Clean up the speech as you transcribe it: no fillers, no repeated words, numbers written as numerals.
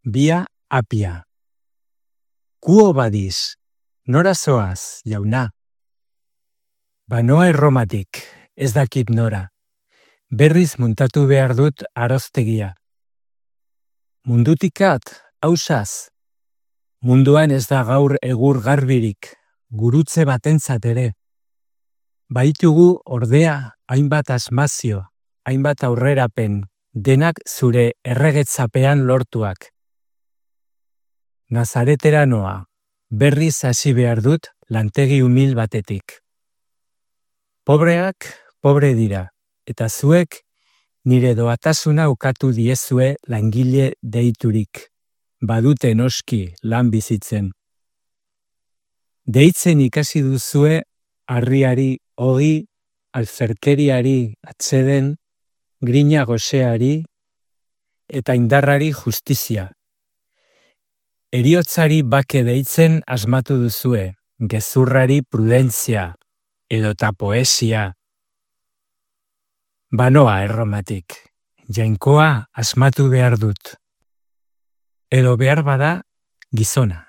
Bia apia. Kuo badiz, nora zoaz, jauna? Banoa Erromatik, ez dakit nora. Berriz muntatu behar dut aroztegia. Mundutikat, hausaz. Munduan ez da gaur egur garbirik, gurutze batentzat ere. Baitugu ordea hainbat asmazio, hainbat aurrerapen, denak zure erregetzapean lortuak. Nazaretera noa, berriz hasi behar dut lantegi umil batetik. Pobreak, pobre dira, eta zuek nire doatasuna ukatu diezue langile deiturik. Badute noski lan bizitzen. Deitzen ikasi duzue harriari ogi, alferkeriari atseden, grina goseari eta indarrari justizia. Heriotzari bake deitzen asmatu duzue, gezurrari prudentzia edota poesia. Banoa Erromatik, jainkoa asmatu behar dut. Edo behar bada gizona.